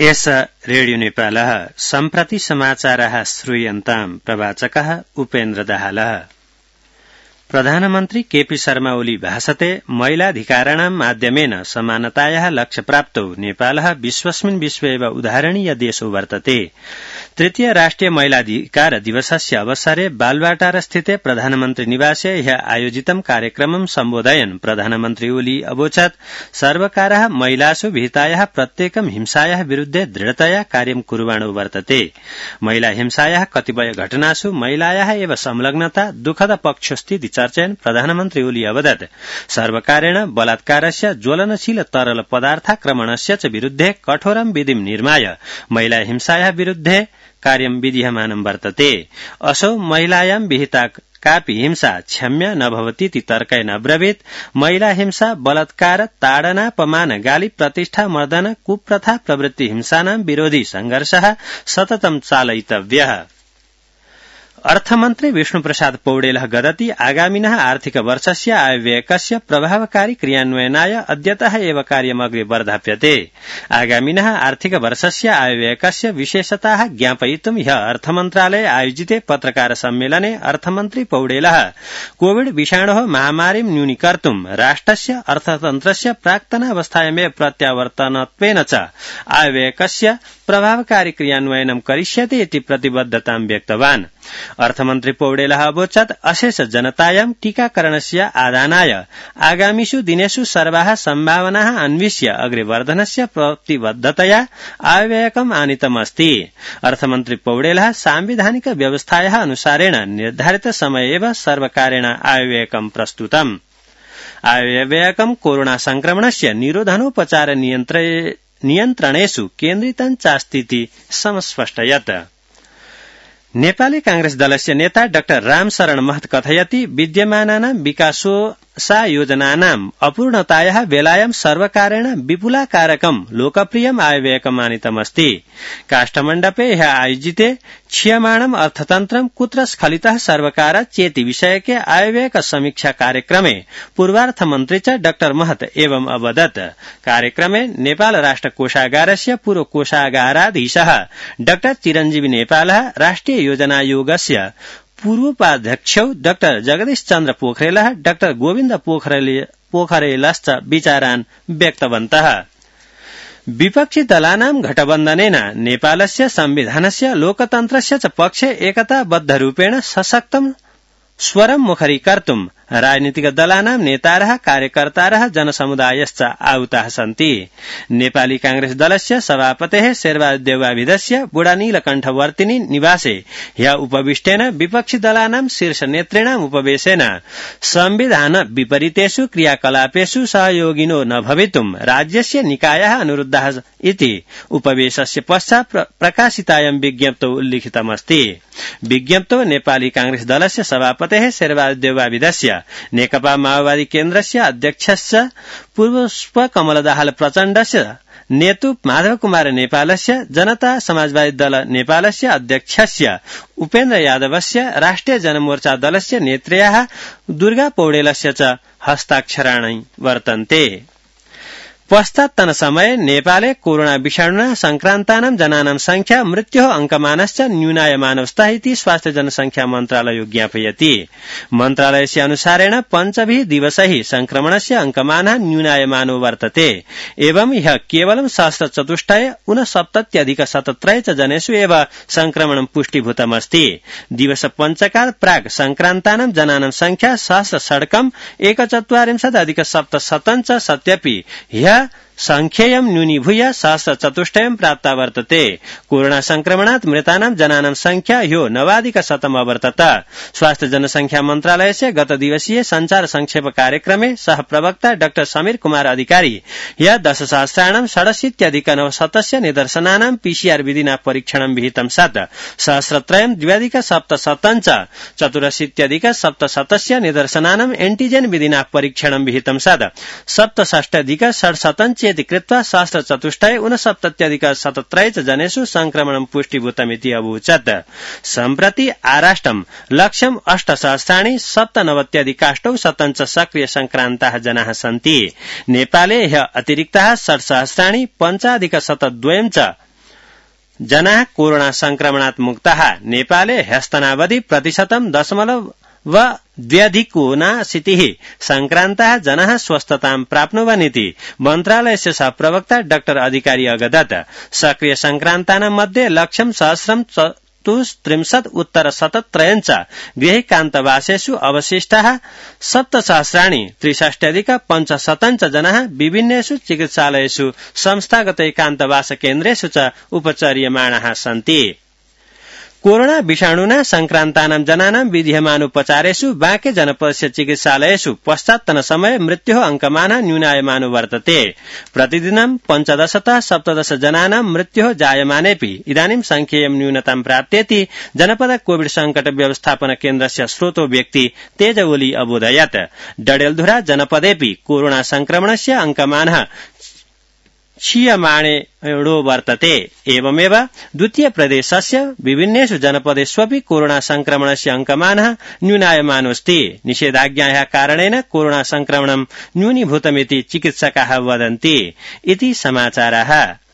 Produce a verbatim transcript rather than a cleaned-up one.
एष रेडियो नेपालः सम्प्रति समाचारः श्रूयन्ताम् प्रवाचकः उपेन्द्र दाहालः। प्रधानमन्त्री केपी शर्मा ओली भाषते महिलाधिकाराणां माध्यमेन समानतायाः लक्ष्य प्राप्तौ नेपालः विश्वस्मिन् विश्व एव उदाहरणीय देशो वर्तते। तृतीय राष्ट्रिय महिलाधिकार दिवसस्य अवसरे बालवाटारस्थिते प्रधानमन्त्री निवासे ह्यः आयोजितं कार्यक्रमं सम्बोधयन् प्रधानमन्त्री ओली अवोचत् सर्वकारः महिलासु विहितायाः प्रत्येकं हिंसायाः विरुद्धे दृढतया कार्यं कुर्वाणो वर्तते। महिला हिंसायाः कतिपय घटनासु महिलायाः एव संलग्नता दुःखद पक्षोऽस्ति चर्चयन् प्रधानमन्त्री ओली अवदत् सर्वकारेण बलात्कारस्य ज्वलनशील तरल पदार्थाक्रमणस्य च विरुद्धे कठोरं विधिं निर्माय महिला हिंसायाः विरुद्धे कार्यं विधीयमानं वर्तते। असौ महिलायां विहिता कापि हिंसा क्षम्य न भवतीति तर्केण अब्रवीत् महिला हिंसा बलात्कार ताडना अपमान गाली प्रतिष्ठा मर्दन कुप्रथा प्रवृत्ति हिंसानां विरोधी संघर्षः सततं चालयितव्यः। अर्थमन्त्री विष्णुप्रसाद पौडेलः गदति आगामिनः आर्थिक वर्षस्य आयव्ययकस्य प्रभावकारी क्रियान्वयनाय अद्यतः एव कार्यम् अग्रे वर्धाप्यते। आगामिनः आर्थिक वर्षस्य आयव्ययकस्य विशेषताः ज्ञापयितुं ह्यः अर्थमन्त्रालये आयोजिते पत्रकार सम्मेलने अर्थमन्त्री पौडेलः कोविड विषाणोः महामारीं न्यूनीकर्तुं राष्ट्रस्य अर्थतन्त्रस्य प्राक्तनावस्थायामेव प्रत्यावर्तनत्वेन च आयव्ययकस्य प्रभावकारी क्रियान्वयनं करिष्यते इति प्रतिबद्धतां व्यक्तवान्। अर्थमन्त्री पौडेलः अवोचत् अशेष जनतायां टीकाकरणस्य आदानाय आगामिषु दिनेषु सर्वाः सम्भावनाः अन्विष्य अग्रे वर्धनस्य प्रतिबद्धतया आयव्ययकम् आनीतमस्ति। अर्थमन्त्री पौडेलः सांविधानिक व्यवस्थायाः अनुसारेण निर्धारित समये एव सर्वकारेण आयव्ययकम् प्रस्तुतम्। आयव्ययकम् कोरोना संक्रमणस्य निरोधनोपचार नियन्त्रणेषु केन्द्रितं चास्तीति समस्पष्टयत्। नेपाली कांग्रेस दलस्य नेता डाक्टर रामशरण महत कथयति विद्यमानानां विकासोसा योजनानाम् अपूर्णतायाः वेलायां सर्वकारेण विपुलाकारकं लोकप्रियम् आयव्ययकम् आनीतमस्ति। काष्ठमण्डपे ह्यः आयोजिते क्षीयमाणम् अर्थतन्त्रं कुत्र स्खलितः सर्वकारः चेति विषयके आयव्ययक समीक्षा कार्यक्रमे पूर्वार्थमन्त्री च डाक्टर महत एवं अवदत्। कार्यक्रमे नेपाल राष्ट्र कोषागारस्य पूर्व कोषागाराधीशः डाक्टर चिरञ्जीवी नेपालः राष्ट्रिय योजनायोगस्य पूर्वोपाध्यक्षौ डाक्टर जगदीश चन्द्र पोखरेलः डाक्टर गोविन्द पोखरेलश्च विचारान् व्यक्तवन्तः। विपक्षी दलानां घटबन्धनेन नेपालस्य संविधानस्य लोकतन्त्रस्य च पक्षे एकताबद्धरूपेण सशक्तं स्वरं मुखरीकर्तुं राजनीतिक दलानां नेतारः कार्यकर्तारः जनसमुदायश्च आहुताः सन्ति। नेपाली कांग्रेस दलस्य सभापतेः शेरबहादुर देउवाभिधस्य बुढानीलकण्ठवर्तिनी निवासे ह्यः उपविष्टेन विपक्षी दलानां शीर्ष नेतॄणाम् उपवेशेन संविधान विपरीतेषु क्रियाकलापेषु सहयोगिनो न भवितुं राज्यस्य निकायः अनुरुद्धाः इति उपवेशस्य पश्चात् प्रकाशितायां विज्ञप्तौ उल्लिखितमस्ति। विज्ञप्तौ नेपाली कांग्रेस दलस्य सभापतेः शेरबहादुर देउवाभिधस्य नेकपा माओवादी केन्द्रस्य अध्यक्षस्य पुष्प कमल दाहाल प्रचण्डस्य नेतु माधव कुमार नेपालस्य जनता समाजवादी दल नेपालस्य अध्यक्षस्य उपेन्द्र यादवस्य राष्ट्रिय जनमोर्चा दलस्य नेत्र्याः दुर्गा पौडेलस्य च हस्ताक्षराणि वर्तन्ते। पश्चात्तन समये नेपाले कोरोना विषाणुना संक्रान्तानां जनानां संख्या मृत्योः अंकमानश्च न्यूनायमानवस्था इति स्वास्थ्य जनसंख्या मन्त्रालयो ज्ञापयति। मन्त्रालयस्य अनुसारेण पञ्चभिः दिवसैः संक्रमणस्य अंकमानः न्यूनायमानो वर्तते। एवं ह्यः केवलं सहस्रचतुष्टय ऊनसप्तत्यधिक शतत्रय च जनेषु एव संक्रमणं पुष्टीभूतमस्ति। दिवस पञ्चकात् प्राक् संक्रान्तानां जनानां संख्या सहस्र षड्कम् एकचत्वारिंशदधिक सप्तशतं च सत्यपि ह्यः संख्येयं न्यूनीभूय सहस्रचतुष्टयं प्राप्ता वर्तते। कोरोना संक्रमणात् मृतानां जनानां संख्या ह्यो नवाधिक शतम् अवर्तत। स्वास्थ्य जनसंख्या मन्त्रालयस्य गत दिवसीय संचार संक्षेप कार्यक्रमे सह प्रवक्ता डाक्टर समीर कुमार अधिकारी ह्यः दशसहस्राणां षडशीत्यधिक नवशतस्य निदर्शनानां पीसीआर विधिना परीक्षणं विहितं सत् सहस्रत्रयं द्व्यधिक सप्तशतं च चतुरशीत्यधिक सप्तशतस्य निदर्शनानां एंटीजेन विधिना परीक्षणं विहितं सत् सप्तषष्ट्यधिक षड्शतं चेति कृत्वा सहस्रचतुष्टय ऊनसप्तत्यधिक शतत्रय च जनेषु संक्रमणं पुष्टीभूतमिति अवोचत्। सम्प्रति आराष्ट्रं लक्ष्यम् अष्टसहस्राणि सप्तनवत्यधिकाष्टौ शतं च सक्रिय संक्रान्ताः जनाः सन्ति। नेपाले ह्यः अतिरिक्ताः षट्सहस्राणि पञ्चाधिक शतद्वयं च जनाः कोरोना संक्रमणात् मुक्ताः नेपाले ह्यस्तनावधि प्रतिशतं दशमलव व द्व्यधिकोनाशीतिः संक्रान्ताः जनाः स्वस्थतां प्राप्नुवन्निति मन्त्रालयस्य सहप्रवक्ता डाक्टर अधिकारी अगदत सक्रिय संक्रान्तानां मध्ये लक्ष्यं सहस्रं चतुस्त्रिंशत् उत्तर शतत्रयञ्च गृहैकान्तवासेषु अवशिष्टाः सप्तसहस्राणि त्रिषष्ट्यधिक पञ्चशतञ्च जनाः विभिन्नेषु चिकित्सालयेषु संस्थागत एकान्तवास केन्द्रेषु च उपचर्यमाणाः सन्ति। कोरोना विषाणुना संक्रान्तानां जनानां विधीयमानोपचारेषु बाँके जनपदस्य चिकित्सालयेषु पश्चात्तन समय मृत्योः अंकमानः न्यूनायमानो वर्तते। प्रतिदिनं पञ्चदशतः सप्तदश जनानां मृत्योः जायमानेऽपि इदानीं संख्येयं न्यूनतां प्राप्तेति जनपद कोविड संकट व्यवस्थापन केन्द्रस्य स्रोतो व्यक्ति तेज ओली अबोधयत्। डडेलधुरा जनपदेऽपि कोरोना संक्रमणस्य अंकमानः क्षीयमाणो वर्तते। एवमेव द्वितीय प्रदेशस्य विभिन्नेषु जनपदेष्वपि कोरोना संक्रमणस्य अंकमानः न्यूनायमानोऽस्ति। निषेधाज्ञायाः कारणेन कोरोना संक्रमणं न्यूनीभूतमिति चिकित्सकाः वदन्ति। इति समाचाराः।